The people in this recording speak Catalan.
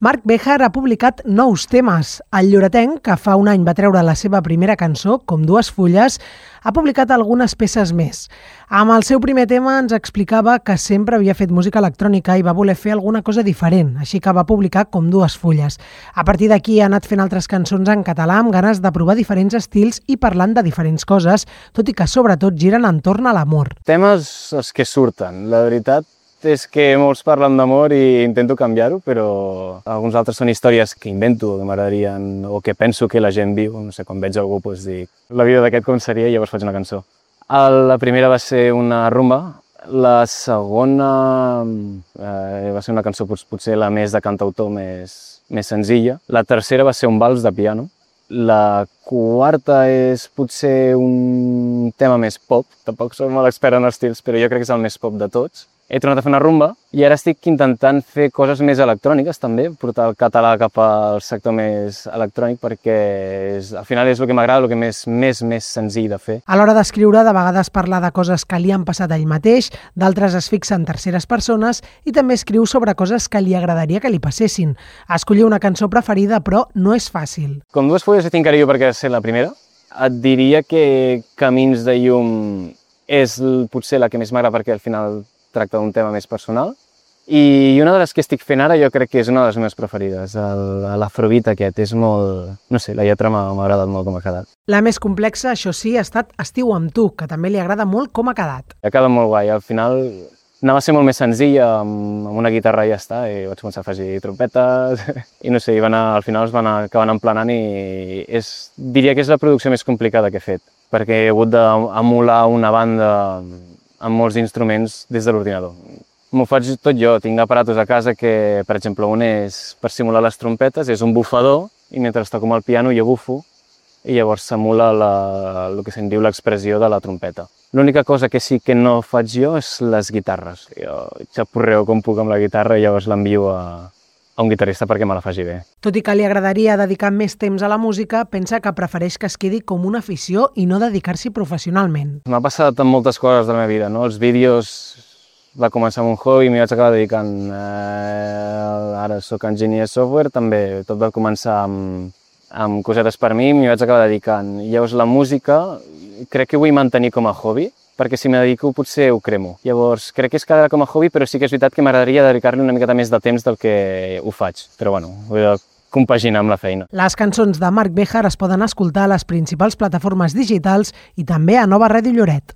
Marc Béjar ha publicat nous temes. El lloretenc, que fa un any va treure la seva primera cançó, Com dues fulles, ha publicat algunes peces més. Amb el seu primer tema ens explicava que sempre havia fet música electrònica i va voler fer alguna cosa diferent, així que va publicar Com dues fulles. A partir d'aquí ha anat fent altres cançons en català amb ganes de provar diferents estils i parlant de diferents coses, tot i que sobretot giren entorn a l'amor. Temes els que surten, la veritat és que molts parlen d'amor i intento canviar-ho, però alguns altres són històries que invento, que m'agradarien o que penso que la gent viu. No sé, quan veig algú doncs dic la vida d'aquest com seria i llavors faig una cançó. La primera va ser una rumba, la segona va ser una cançó potser la més de cantautor, més senzilla. La tercera va ser un vals de piano. La quarta és potser un tema més pop, tampoc soc molt expert en estils, però jo crec que és el més pop de tots. He tornat a fer una rumba i ara estic intentant fer coses més electròniques també, portar el català cap al sector més electrònic perquè al final és el que m'agrada, el que més senzill de fer. A l'hora d'escriure, de vegades parla de coses que li han passat a ell mateix, d'altres es fixa en terceres persones i també escriu sobre coses que li agradaria que li passessin. Escollir una cançó preferida, però no és fàcil. Com dues fulles tinc carinyo perquè és la primera. Et diria que Camins de llum és potser la que més m'agrada perquè al final tracta d'un tema més personal. I una de les que estic fent ara jo crec que és una de les meves preferides, l'Afrobeat aquest. És molt... no sé, la lletra m'ha agradat molt com ha quedat. La més complexa, això sí, ha estat Estiu amb tu, que també li agrada molt com ha quedat. Ha quedat molt guai. Al final anava a ser molt més senzilla, amb una guitarra i ja està, i vaig començar a afegir trompetes, i no sé, al final es van acabant emplenant i diria que és la producció més complicada que he fet, perquè he hagut d'emular una banda amb molts instruments des de l'ordinador. M'ho faig tot jo, tinc aparatos a casa que, per exemple, un és per simular les trompetes, és un bufador, i mentre toco amb el piano jo bufo, i llavors s'emula el que se'n diu l'expressió de la trompeta. L'única cosa que sí que no faig jo és les guitarres. Jo xapurreo com puc amb la guitarra i llavors l'envio a un guitarrista perquè me la faci bé. Tot i que li agradaria dedicar més temps a la música, pensa que prefereix que es quedi com una afició i no dedicar-s'hi professionalment. M'ha passat amb moltes coses de la meva vida, no? Els vídeos va començar amb un hobby i m'hi vaig acabar dedicant. Ara soc enginyer de software, també tot va començar amb cosetes per mi, m'hi vaig acabar dedicant. I llavors la música crec que vull mantenir com a hobby, perquè si m'hi dedico potser ho cremo. Llavors crec que es quedarà com a hobby, però sí que és veritat que m'agradaria dedicar-li una miqueta més de temps del que ho faig. Però bueno, ho he de compaginar amb la feina. Les cançons de Marc Béjar es poden escoltar a les principals plataformes digitals i també a Nova Ràdio Lloret.